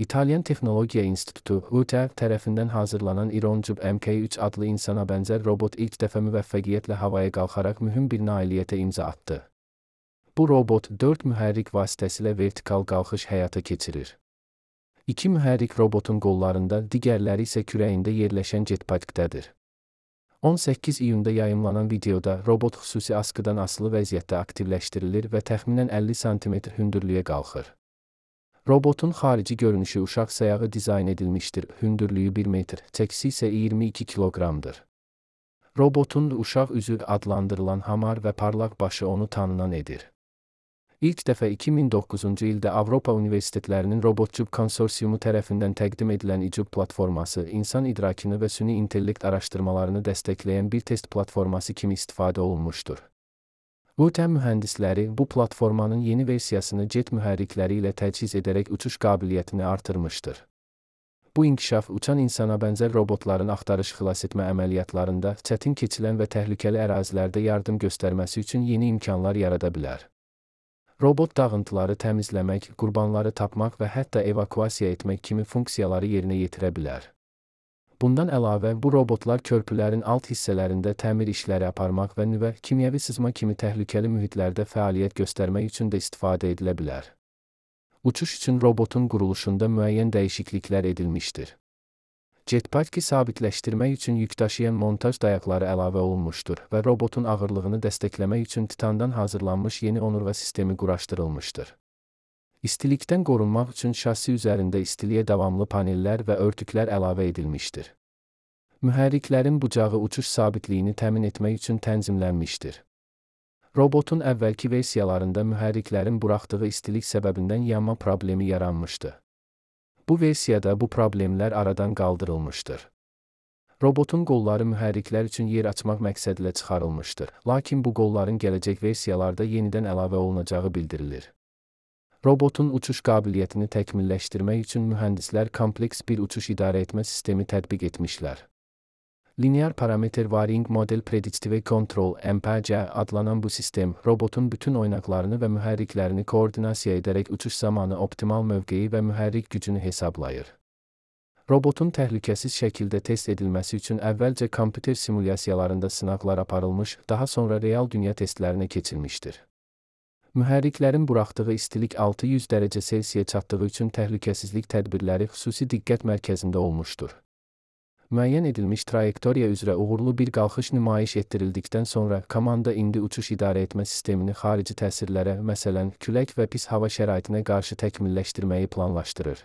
İtalyan Texnologiya İnstitutu (UTEV) tərəfindən hazırlanan İroncub MK3 adlı insana bənzər robot ilk dəfə müvəffəqiyyətlə havaya qalxaraq mühüm bir nailiyyətə imza atdı. Bu robot 4 mühərrik vasitəsilə vertikal qalxış həyata keçirir. 2 mühərrik robotun qollarında, digərləri isə kürəyində yerləşən jetpackdədir. 18 iyunda yayımlanan videoda robot xüsusi askıdan asılı vəziyyətdə aktivləşdirilir və təxminən 50 sm hündürlüyə qalxır. Robotun xarici görünüşü uşaq sayağı dizayn edilmişdir, hündürlüyü 1 metr, çəkisi isə 22 kiloqramdır. Robotun uşaq üzü adlandırılan hamar və parlaq başı onu tanınan edir. İlk dəfə 2009-cu ildə Avropa Universitetlərinin Robotcub konsorsiumu tərəfindən təqdim edilən İcub platforması, insan idrakını və süni intellekt araşdırmalarını dəstəkləyən bir test platforması kimi istifadə olunmuşdur. UTEV mühəndisləri bu platformanın yeni versiyasını jet mühərrikləri ilə təchiz edərək uçuş qabiliyyətini artırmışdır. Bu inkişaf uçan insana bənzər robotların axtarış xilasetmə əməliyyatlarında, çətin keçilən və təhlükəli ərazilərdə yardım göstərməsi üçün yeni imkanlar yarada bilər. Robot dağıntıları təmizləmək, qurbanları tapmaq və hətta evakuasiya etmək kimi funksiyaları yerinə yetirə bilər. Bundan əlavə, bu robotlar körpülərin alt hissələrində təmir işləri aparmaq və nüvə, kimyəvi sızma kimi təhlükəli mühitlərdə fəaliyyət göstərmək üçün də istifadə edilə bilər. Uçuş üçün robotun quruluşunda müəyyən dəyişikliklər edilmişdir. Jetpack'i sabitləşdirmək üçün yükdaşıyan montaj dayaqları əlavə olunmuşdur və robotun ağırlığını dəstəkləmək üçün titandan hazırlanmış yeni onurğa sistemi quraşdırılmışdır. İstilikdən qorunmaq üçün şassi üzərində istiliyə davamlı panellər və örtüklər əlavə edilmişdir. Mühərriklərin bucağı uçuş sabitliyini təmin etmək üçün tənzimlənmişdir. Robotun əvvəlki versiyalarında mühərriklərin buraxdığı istilik səbəbindən yanma problemi yaranmışdı. Bu versiyada bu problemlər aradan qaldırılmışdır. Robotun qolları mühərriklər üçün yer açmaq məqsədilə çıxarılmışdır, lakin bu qolların gələcək versiyalarda yenidən əlavə olunacağı bildirilir. Robotun uçuş qabiliyyətini təkmilləşdirmək üçün mühəndislər kompleks bir uçuş idarəetmə sistemi tətbiq etmişlər. Linear Parameter Varying Model Predictive Control (MPC) adlanan bu sistem, robotun bütün oynaqlarını və mühərriklərini koordinasiya edərək uçuş zamanı optimal mövqeyi və mühərrik gücünü hesablayır. Robotun təhlükəsiz şəkildə test edilməsi üçün əvvəlcə kompüter simulyasiyalarında sınaqlar aparılmış, daha sonra real dünya testlərinə keçilmişdir. Mühərriklərin buraxdığı istilik 600 dərəcə Selsiyə çatdığı üçün təhlükəsizlik tədbirləri xüsusi diqqət mərkəzində olmuşdur. Müəyyən edilmiş trayektoriya üzrə uğurlu bir qalxış nümayiş etdirildikdən sonra, komanda indi uçuş idarəetmə sistemini xarici təsirlərə, məsələn, külək və pis hava şəraitinə qarşı təkmilləşdirməyi planlaşdırır.